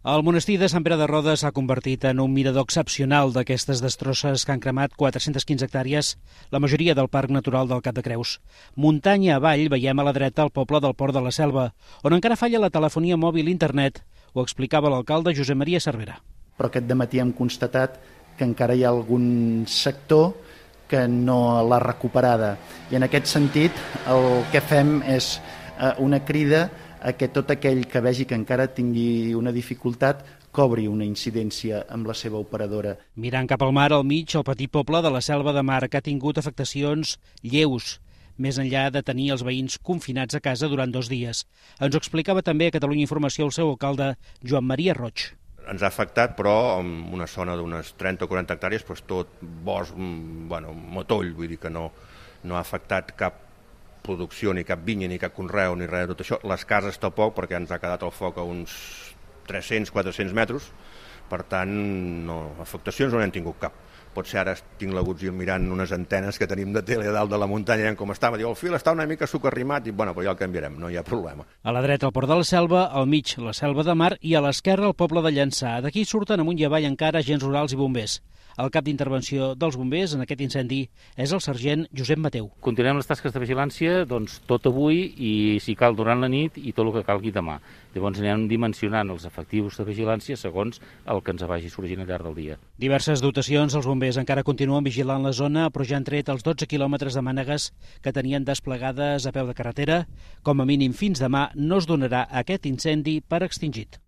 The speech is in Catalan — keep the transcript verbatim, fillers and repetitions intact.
El monestir de Sant Pere de Rodes s'ha convertit en un mirador excepcional d'aquestes destrosses que han cremat quatre-centes quinze hectàrees, la majoria del Parc Natural del Cap de Creus. Muntanya avall veiem a la dreta el poble del Port de la Selva, on encara falla la telefonia mòbil i internet, ho explicava l'alcalde Josep Maria Cervera. Però aquest dematí hem constatat que encara hi ha algun sector que no l'ha recuperada. I en aquest sentit el que fem és una crida a que tot aquell que vegi que encara tingui una dificultat cobri una incidència amb la seva operadora. Mirant cap al mar, al mig, el petit poble de la Selva de Mar, que ha tingut afectacions lleus, més enllà de tenir els veïns confinats a casa durant dos dies. Ens ho explicava també a Catalunya Informació el seu alcalde, Joan Maria Roig. Ens ha afectat, però, en una zona d'unes trenta o quaranta hectàrees, doncs tot bosc, bueno, motoll, vull dir que no, no ha afectat cap producció, ni cap vinya, ni cap conreu, ni res de tot això. Les cases tampoc, perquè ens ha quedat el foc a uns tres-cents a quatre-cents metres, per tant, no, afectacions no n'hem tingut cap. Potser ara tinc l'agutzil mirant unes antenes que tenim de tele a dalt de la muntanya, com estava, diu, el fil està una mica sucarrimat, i bueno, però ja el canviarem, no hi ha problema. A la dreta el Port de la Selva, al mig la Selva de Mar i a l'esquerra el poble de Llançà. D'aquí surten amunt i avall encara agents rurals i bombers. El cap d'intervenció dels bombers en aquest incendi és el sergent Josep Mateu. Continuem les tasques de vigilància doncs, tot avui i, si cal, durant la nit i tot el que calgui demà. Llavors anem dimensionant els efectius de vigilància segons el que ens vagi sorgint al llarg del dia. Diverses dotacions, els bombers encara continuen vigilant la zona, però ja han tret els dotze quilòmetres de mànegues que tenien desplegades a peu de carretera. Com a mínim fins demà no es donarà aquest incendi per extingit.